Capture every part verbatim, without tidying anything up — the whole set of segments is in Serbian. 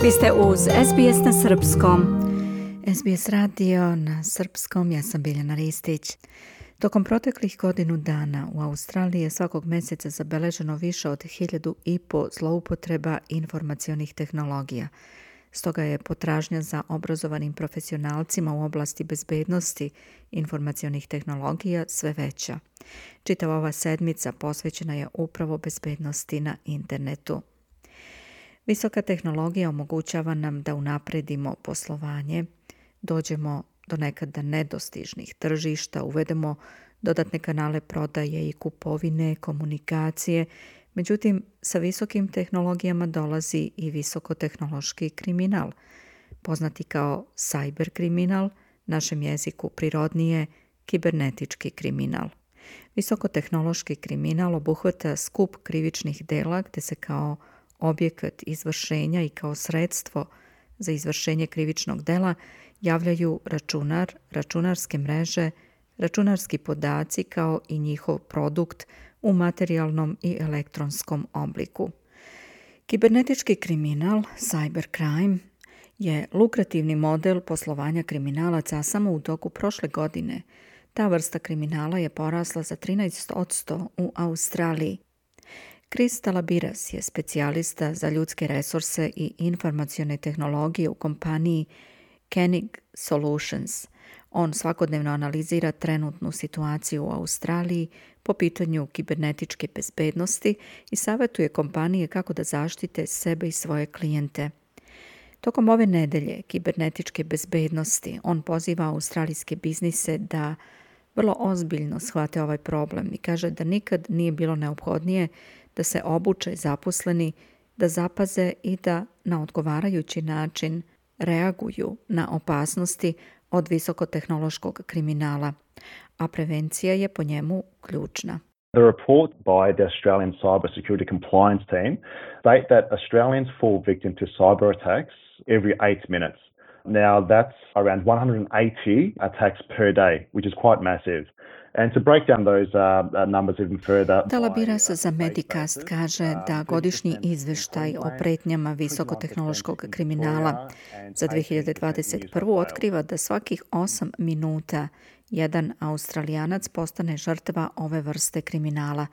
Vi ste uz S B S na srpskom. S B S radio na srpskom, ja sam Biljana Ristić. Tokom proteklih godinu dana u Australiji je svakog mjeseca zabeleženo više od hiljadu i po zloupotreba informacionih tehnologija. Stoga je potražnja za obrazovanim profesionalcima u oblasti bezbednosti informacionih tehnologija sve veća. Čitava ova sedmica posvećena je upravo bezbednosti na internetu. Visoka tehnologija omogućava nam da unapredimo poslovanje, dođemo do nekada nedostižnih tržišta, uvedemo dodatne kanale prodaje i kupovine, komunikacije. Međutim, sa visokim tehnologijama dolazi i visokotehnološki kriminal, poznati kao cyber kriminal, našem jeziku prirodnije kibernetički kriminal. Visokotehnološki kriminal obuhvata skup krivičnih dela gde se kao objekat izvršenja i kao sredstvo za izvršenje krivičnog dela javljaju računar, računarske mreže, računarski podaci kao i njihov produkt u materijalnom i elektronskom obliku. Kibernetički kriminal, cybercrime, je lukrativni model poslovanja kriminalaca, a samo u toku prošle godine ta vrsta kriminala je porasla za trinaest posto u Australiji. Chris Talabiras je specijalista za ljudske resurse i informacione tehnologije u kompaniji Koenig Solutions. On svakodnevno analizira trenutnu situaciju u Australiji po pitanju kibernetičke bezbednosti i savjetuje kompanije kako da zaštite sebe i svoje klijente. Tokom ove nedelje kibernetičke bezbednosti on poziva australijske biznise da vrlo ozbiljno shvate ovaj problem i kaže da nikad nije bilo neophodnije da se obuče zaposleni, da zapaze i da na odgovarajući način reaguju na opasnosti od visokotehnološkog kriminala, a prevencija je po njemu ključna. The report by the Australian Cybersecurity Compliance Team state that Australians fall victim to cyber attacks every eight minutes. Now that's around one hundred eighty attacks per day, which is quite massive. And to break down those uh, numbers even further. Talabiras za Medicast kaže da godišnji izveštaj o pretnjama visokotehnološkog kriminala za dve hiljade dvadeset prvu. otkriva da svakih osam minuta jedan Australijanac postane žrtva ove vrste kriminala.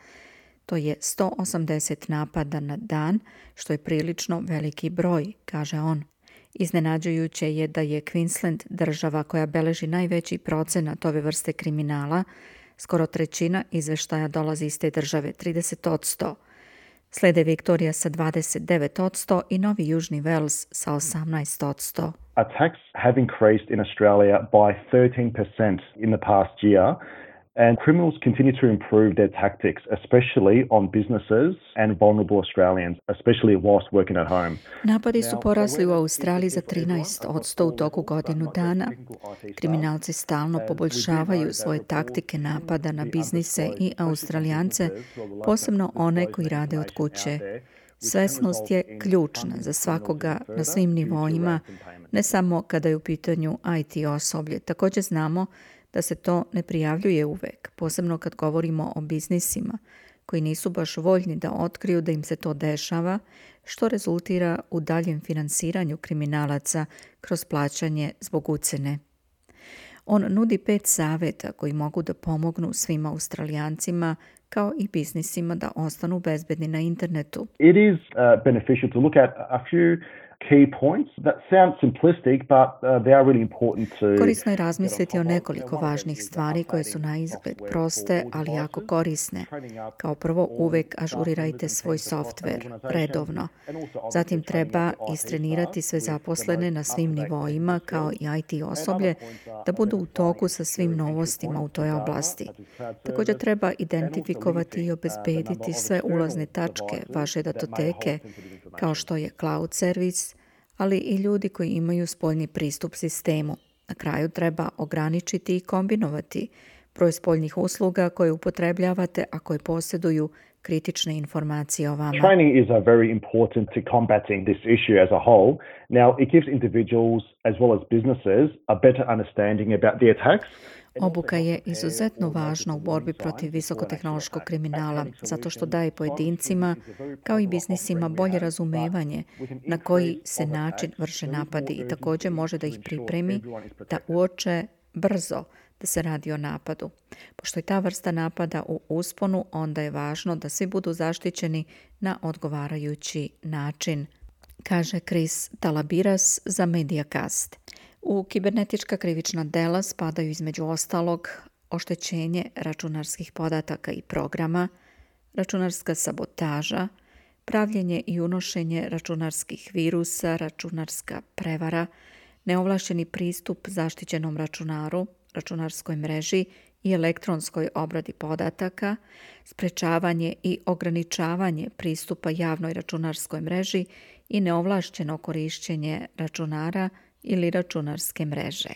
To je sto osamdeset napada na dan, što je prilično veliki broj, kaže on. Iznenađujuće je da je Queensland država koja beleži najveći procenat ove vrste kriminala. Skoro trećina izveštaja dolazi iz te države, trideset posto. Slede Viktorija sa dvadeset devet posto i Novi Južni Wales sa osamnaest posto. Attacks have increased in Australia by thirteen percent in the past year. And criminals continue to improve their tactics, especially on businesses and vulnerable Australians, especially whilst working at home. Napadi su porasli u Australiji za trinaest posto u toku godinu dana. Kriminalci stalno poboljšavaju svoje taktike napada na biznise i Australijance, posebno one koji rade od kuće. Svesnost je ključna za svakoga na svim nivoima, ne samo kada je u pitanju I T osoblje. Također znamo da se to ne prijavljuje uvek, posebno kad govorimo o biznisima koji nisu baš voljni da otkriju da im se to dešava, što rezultira u daljem finansiranju kriminalaca kroz plaćanje zbog ucene. On nudi pet savjeta koji mogu da pomognu svim Australijancima kao i biznisima da ostanu bezbedni na internetu. It is uh, beneficial to look at a few key points that sound simplistic, but uh, they are really important to. Korisno je razmisliti o nekoliko važnih stvari koje su na izgled proste, ali jako korisne. Kao prvo, uvek ažurirajte svoj softver redovno. Zatim treba istrenirati sve zaposlene na svim nivoima, kao i I T osoblje, da budu u toku sa svim novostima u toj oblasti. Također treba identifikovati i obezbediti sve ulazne tačke vaše datoteke, kao što je cloud servis, ali i ljudi koji imaju spoljni pristup sistemu. Na kraju treba ograničiti i kombinovati broj spoljnih usluga koje upotrebljavate, a koje posjeduju kritične informacije o vama. Training is a very important to combating this issue as a whole. Now, it gives individuals as well as businesses a better understanding about the attacks. Obuka je izuzetno važna u borbi protiv visokotehnološkog kriminala, zato što daje pojedincima, kao i biznisima, bolje razumevanje na koji se način vrše napadi i također može da ih pripremi da uoče brzo da se radi o napadu. Pošto je ta vrsta napada u usponu, onda je važno da svi budu zaštićeni na odgovarajući način, kaže Chris Talabiras za Mediacast. U kibernetička krivična dela spadaju između ostalog oštećenje računarskih podataka i programa, računarska sabotaža, pravljenje i unošenje računarskih virusa, računarska prevara, neovlašćeni pristup zaštićenom računaru, računarskoj mreži i elektronskoj obradi podataka, sprečavanje i ograničavanje pristupa javnoj računarskoj mreži i neovlašćeno korišćenje računara ili računarske mreže.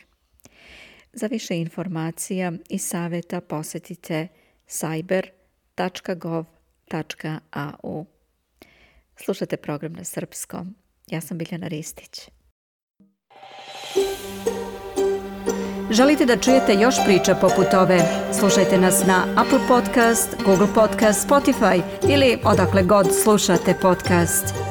Za više informacija i savjeta posjetite cyber tačka gov tačka a u. Slušajte program na srpskom. Ja sam Biljana Ristić. Želite da čujete još priča poput ove? Slušajte nas na Apple Podcast, Google Podcast, Spotify ili odakle god slušate podcast.